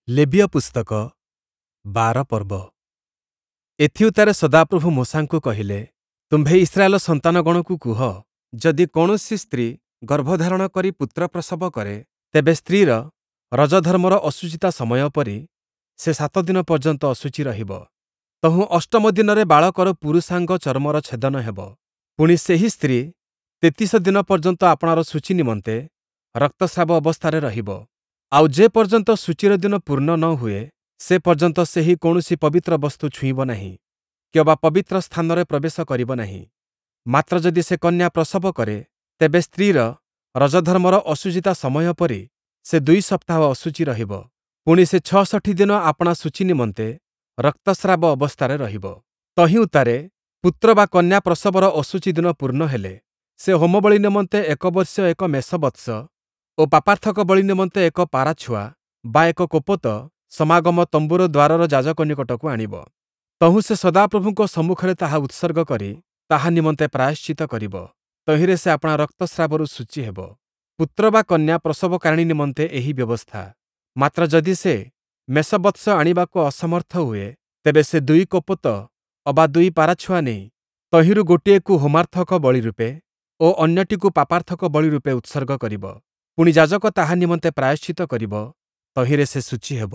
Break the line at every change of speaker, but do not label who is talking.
ଲେବୀୟ ପୁସ୍ତକ 12 ପର୍ବ। ଏଥିଉତ୍ତାରେ ସଦାପ୍ରଭୁ ମୋଶାଙ୍କୁ କହିଲେ, ତୁମ୍ଭେ ଇସ୍ରାଏଲ ସନ୍ତାନଗଣକୁ କୁହ, ଯଦି କୌଣସି ସ୍ତ୍ରୀ ଗର୍ଭଧାରଣ କରି ପୁତ୍ର ପ୍ରସବ କରେ, ତେବେ ସ୍ତ୍ରୀର ରଜଧର୍ମର ଅଶୁଚିତା ସମୟ ପରି ସେ 7 ଦିନ ପର୍ଯ୍ୟନ୍ତ ଅଶୁଚି ରହିବ। ତହୁଁ ଅଷ୍ଟମ ଦିନରେ ବାଳକର ପୁରୁଷାଙ୍ଗ ଚର୍ମର ଛେଦନ ହେବ। ପୁଣି ସେହି ସ୍ତ୍ରୀ 33 ଦିନ ପର୍ଯ୍ୟନ୍ତ ଆପଣାର ଶୁଚି ନିମନ୍ତେ ରକ୍ତସ୍ରାବ ଅବସ୍ଥାରେ ରହିବ। ଆଉ ଯେ ପର୍ଯ୍ୟନ୍ତ ଶୁଚିର ଦିନ ପୂର୍ଣ୍ଣ ନ ହୁଏ, ସେ ପର୍ଯ୍ୟନ୍ତ ସେହି କୌଣସି ପବିତ୍ର ବସ୍ତୁ ଛୁଇଁବ ନାହିଁ, କିଅବା ପବିତ୍ର ସ୍ଥାନରେ ପ୍ରବେଶ କରିବ ନାହିଁ। ମାତ୍ର ଯଦି ସେ କନ୍ୟା ପ୍ରସବ କରେ, ତେବେ ସ୍ତ୍ରୀର ରଜଧର୍ମର ଅଶୁଚିତା ସମୟ ପରି ସେ 2 ସପ୍ତାହ ଅଶୁଚି ରହିବ। ପୁଣି ସେ 66 ଦିନ ଆପଣା ଶୁଚି ନିମନ୍ତେ ରକ୍ତସ୍ରାବ ଅବସ୍ଥାରେ ରହିବ। ତହିଁ ଉତ୍ତାରେ ପୁତ୍ର ବା କନ୍ୟା ପ୍ରସବର ଅଶୁଚି ଦିନ ପୂର୍ଣ୍ଣ ହେଲେ, ସେ ହୋମବଳି ନିମନ୍ତେ ଏକ ବର୍ଷୀୟ ଏକ ମେଷବତ୍ସ ଓ ପାପାର୍ଥକ ବଳି ନିମନ୍ତେ ଏକ ପାରାଛୁଆ ବା ଏକ କୋପତ ସମାଗମ ତମ୍ବୁର ଦ୍ୱାରର ଯାଜକ ନିକଟକୁ ଆଣିବ। ତହୁଁ ସେ ସଦାପ୍ରଭୁଙ୍କ ସମ୍ମୁଖରେ ତାହା ଉତ୍ସର୍ଗ କରି ତାହା ନିମନ୍ତେ ପ୍ରାୟଶ୍ଚିତ୍ତ କରିବ, ତହିଁରେ ସେ ଆପଣା ରକ୍ତସ୍ରାବରୁ ଶୁଚି ହେବ। ପୁତ୍ର ବା କନ୍ୟା ପ୍ରସବକାରିଣୀ ନିମନ୍ତେ ଏହି ବ୍ୟବସ୍ଥା। ମାତ୍ର ଯଦି ସେ ମେଷବତ୍ସ ଆଣିବାକୁ ଅସମର୍ଥ ହୁଏ, ତେବେ ସେ 2 କୋପତ ଅବା 2 ପାରାଛୁଆ ନେଇ ତହିଁରୁ ଗୋଟିଏକୁ ହୋମାର୍ଥକ ବଳି ରୂପେ ଓ ଅନ୍ୟଟିକୁ ପାପାର୍ଥକ ବଳି ରୂପେ ଉତ୍ସର୍ଗ କରିବ। ପୁଣି ଯାଜକ ତାହା ନିମନ୍ତେ ପ୍ରାୟଶ୍ଚିତ୍ତ କରିବ, ତହିଁରେ ସେ ଶୁଚି ହେବ।